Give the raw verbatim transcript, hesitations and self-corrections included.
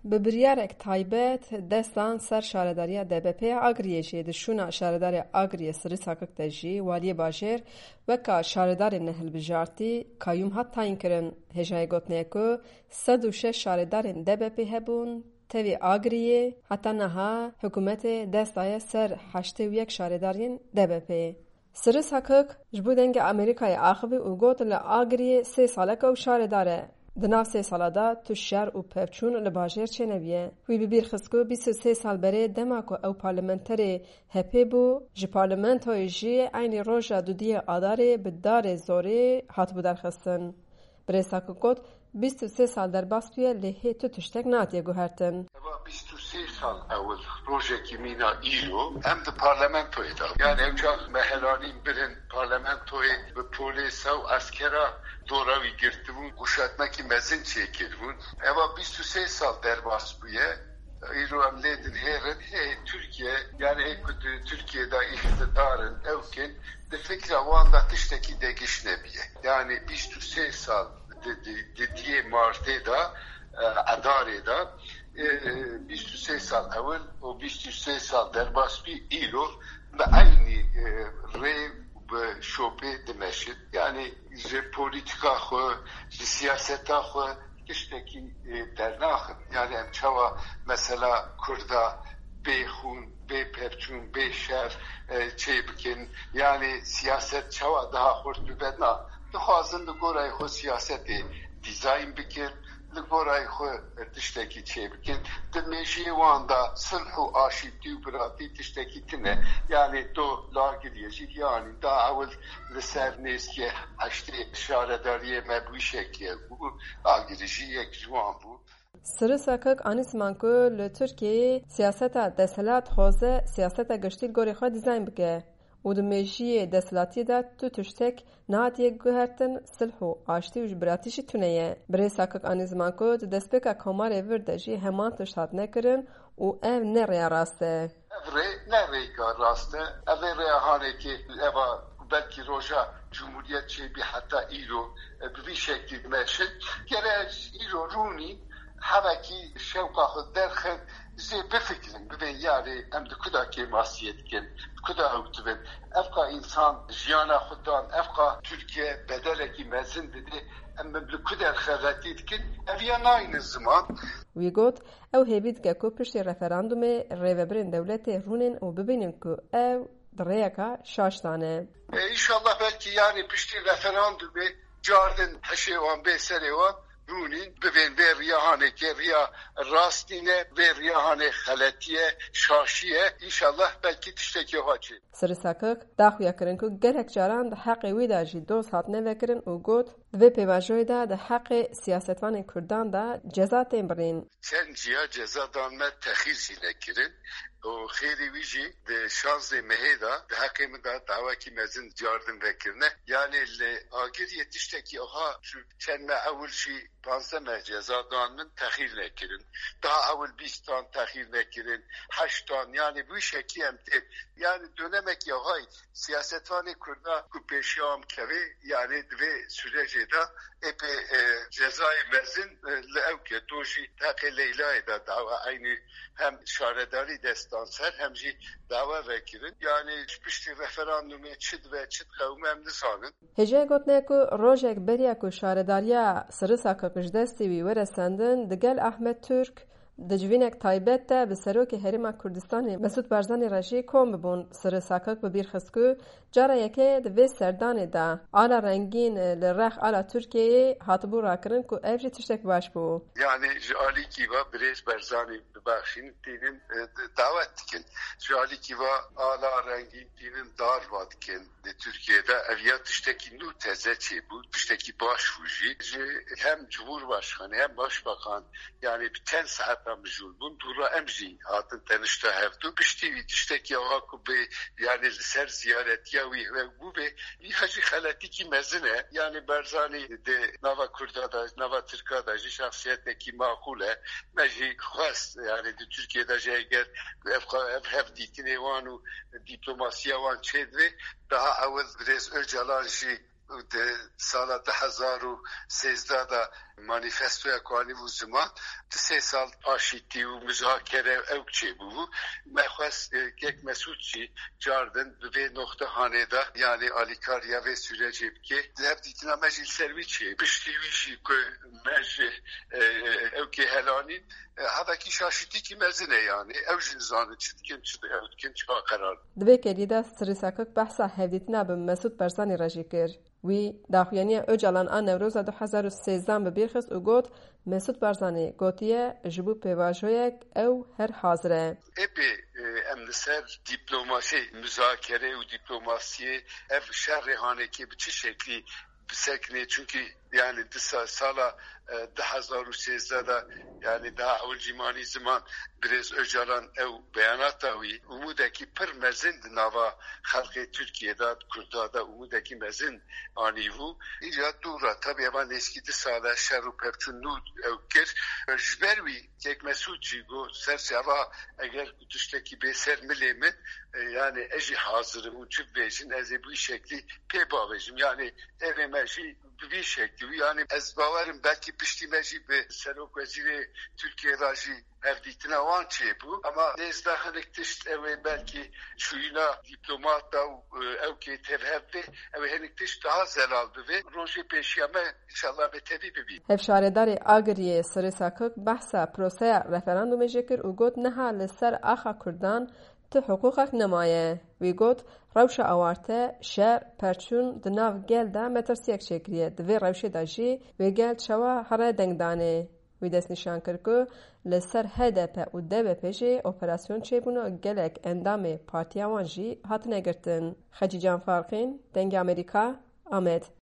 Bi biryarek taybet dest dan ser şaredariya D B P ya Agiriyê jî. Di şûna şaredarê Agiriyê Sirri Sakik de jî waliyê bajêr weka şaredarê nehilbijartî, kayyûm, hat tayînkirin. Hêjayê gotinê ye ku sed û şeş şaredarên D B P hebûn, tevî Agiriyê heta niha hikûmetê dest daye ser heştê û yek şaredariyên D B P'ê. Sirri Sakik ji bo Dengê Amerîkayê axivî û got, li Agiriyê sê salek e û şaredar e. Di nav sê sala de tu şer û pevçûn li bajêr çênebiye. Wî bi bîr xist ku bîst û sê sal berê dema ku ew parlamenterê H P bû, ji parlamentoyê jî eynî roja dudiyê Adarê bi darê zorê hatibû derxistin. Birêz Sakik got, bîst û sê sal derbas bûye, lê hê tu tiştek natiye guhertin. Eva bîst û sê sal ewil rojekî mîna îro em di parlamentoyê de. Yani ew çax me helanîn birin parlamentoyê bi polêsa û eskera dora wî girtibûn, uşatmekî mezin çêkiribûn. Eva bîst û sê sal derbas bûye. Îro em lê dinhêrin, hê Tirkiye, yani hê ku di Tirkiye de îqtidar in, ew kin, di fikra wan de tiştekî degiş nebiye. Yani bîst û sê sal di, di, di diyê Martê de, e, Edarê de, e, e, bîst û sê sal ewil û bîst û sê sal derbas bî, îro bi eynî, e, rê bi şopê dimeşin. Yani ji polîtîka xwe, ji siyaseta xwe tiştekî, e, dernaxin. Yani em çawa mesela Kurda bê xûn, bê pevçûn, bê şer, e, çê bikin? Yani siyaset çawa daha xurt bibe? Na, dixwazin li gorayê xwe siyasetê dîzayn bikin, li gorayê xwe tiştekî çê bikin. Di mêjiyê wan de silh û aşîtî û biratî tiştekî tune. Yani do li Agiriyê jî, yani da ewil li ser nêzîkê heştê şaredariyê me bi wî şekilê bû. Agirî jî yek ji wan bû. Sirri Sakik anî ziman ku li Tirkiyeyê siyaseta desthilat dixwaze siyaseta giştî li gorî xwe dîzayn bike û di mêjiyê desthilatiyê de tu tiştek nehatiye guhertin, silh û aştî û ji biratî jî tune ye. Birêz Sakik anî ziman ku di destpêka komarê vir de jî heman tişt hatine kirin û ev ne rêya rast e. Ev rê ne rêka rast e. Ev ê rêya hanekê eva belkî roja Cumhuriyet çêbî heta îro, e, bi vî şeklî dimeşin. Gere îro rûnî hevekî şewqa xwe derxin, zê bifikirin, bibên yarê em di kuda kêmasiyê dikin, di kuda ew dibin. Evqa însan jiyana xwe dan, evqa Tirkiye bedelekî mezin dide, em li ku der xeletî dikin, ev ya nayne ziman. Wî got, ew hêvî dike ku piştî referandumê rêvebirên dewletê rûnên û bibînin ku ew di rêyeka şaş de ne. E, înşallah belkî yani piştî referandumê cardin hişê wan bê serê wan rûnîn, bibên vê riya hanekê riya rastî ne, vê riya hanê xeletiye, şaşiye. Înşallah belkî tiştekî wiha çê. Sirri Sakik da xuya kirin ku gelek caran di heqê wî de jî doz hatine vekirin û got, di vê pêvajoyê de di heqê siyasetvanên Kurdan de ceza tên birîn. Çend ciya ceza dan me, texîr jî nekirin û xêrî wî jî di şanzê mehê de di heqê min de dawekî mezin cardin vekirine. Yani li Agiriyê tiştekî aha çû, çend meh ewil jî panzdeh meh ceza dan min, texîr nekirin. Daha ewil bîst dan texîr nekirin, heşt dan, yani bu şekî em tê. Yani dönemekî ahay siyasetvanê Kurda ku pêşiya wan kevê, yani di vê sürecê de ê pê, e, cezayê mezin, e, li ew ke to jî heqê Leylayê de dawa eynî hem şaredarî destan ser hem jî dawa vekirin. Yani ji piştî referandumê çi dibe, çi diqewime em nizanin. Hêjayê gotinê ku rojek beriya ku şaredariya Sirri Sakik ji destê wî were sendin, digel Ahmet Türk di civînek taybet de bi Serokê Herêma Kurdistanê Mesûd Barzanî re jî kom bibûn. Sirri Sakik bi bîr xist ku cara yekê di vê serdanê de ala rengîn li rex ala Tirkiyeyê hatibû rakirin ku ev jî tiştek baş bû. Yani ji alîkî ve birêz Barzanî bibexşîn tînin, e, d-, dawet dikin. Ji alîkî ve ala rengîn tînin darva dikin. Di Tirkiye de ev ya tiştekî nû teze çêbû, tiştekî baş bû jî. Ji hem Cumhurbaşkanı hem Başbakan, yani bi çend saeta mijûl bûn, dûra em jî hatin tenişta hevdu. Piştî wî tiştekî awa ku bê, yani li ser ziyaretiya wî ve bû bê, vî jî xeletîkî mezin e. Yani Barzanî di nava Kurda da, nava Tirka da jî şexsiyetekî maqûl e. Me jî xwest, yani di Tirkiye de jî eger ev, ev hev dîtinê wan û diplomasiya wan çêdibe, daha ewil birêz Ocalan jî Di sala du hezar û sêzdeh de manîfestoya ku anîbû ziman, di sê sal aşîtî û muzakere ew çêbûbû. Me xwest, e, kek Mesûd jî cardin bi vê noxte hanê de, yanî alîkariya vê sûrecê bike. Di hevdîtina me jî li ser wî çê. Piştî wî jî ku me ji, e, ew kê helanîn, e, hevekî şaşîtîkî mezin e yanî. Ew jî nizanin çi dikin, çi di-, ew dikin, çi qerar. Di vê kerî de Sirî Sakik behsa hevdîtina bi Mesûd Barzanî re jî kir. Wî daxuyaniya Ocalan a Newroza du hezar û sêzdeh bi bîr xist û got, Mesûd Barzanî gotiye, ji bo pêvajoyek ew her hazir e. Ê bê, e, em li ser dîplomasî, muzakere û dîplomasiyê ev şerê hanekê bi çi şeklî bisekine? Çunkî, yanî, di sa-, sala, e, du hezar û sêzdeh de, yanî, daha ewil jî manî ziman, birêz Ocalan ew beyanata wî, umûdekî pir mezin di nava xelkê Tirkiyê de, di Kurda de umûdekî mezin anîbû. Îja dû re, tabii, eva nêzkî du sal e şer û pevçûn nû ew kir. Ji ber wî kek Mesûd jî got, ser çava eger ku tiştekî bê ser milê min, e, yanî ez jî hazir im û çi bibêjin, ez ê bi wî şeklî pê bavêjim. Yanî evê me jî bi vî şeklî bû. Yanî ez bawer im belkî piştî me jî bi Serokwezîrê Tirkiyê re jî hevdîtina wan çêbû. Ama nêzda hinek tişt ew ê belkî çûyîna dîplomata û, e, ew kê tevhev bê, ew ê hinek tişt daha zelal bivê. Rojê pêşiya me înşallah me tevî bibîn. Hevşaredarê Agiriyê Sirî Sakik behsa proseya referandumê jî kir û got, niha li ser axa Kurdan tu hiqûqek nemaye. Wî got, rewşa awarte, şer, perçûn di nav gel de metirsiyek çêkiriye. Di vê rewşê de jî wê gel çawa here dengdanê? Wî destnîşan kir ku li ser H D P û D B P jî operasyon çêbûn û gelek endamê partiya wan jî hatine girtin. Xecîcan Farqîn, Dengê Amerîka, Amed.